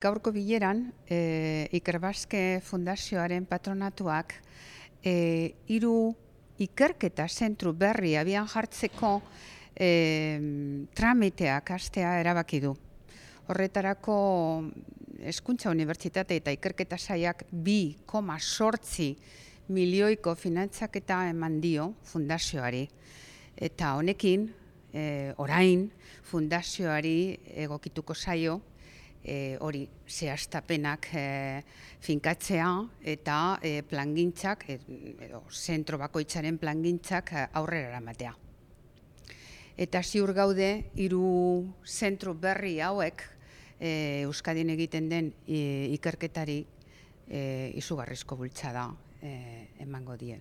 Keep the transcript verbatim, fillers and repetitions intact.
Gaurko bileran, e, Ikerbasque Fundazioaren patronatuak e, hiru ikerketa zentru berri abian jartzeko e, tramiteak hastea erabaki du. Horretarako Hezkuntza Unibertsitate eta Ikerketa Sailak bi koma zortzi milioiko finantzaketa eman dio fundazioari. Eta honekin, e, orain, fundazioari egokituko zaio, E, hori zehaztapenak e, finkatzea eta e, plangintzak, e, edo zentro bakoitzaren plangintzak e, aurrera eramatea. Eta ziur gaude, hiru zentro berri hauek e, Euskadin egiten den e, ikerketari e, izugarrizko bultzada e, emango die.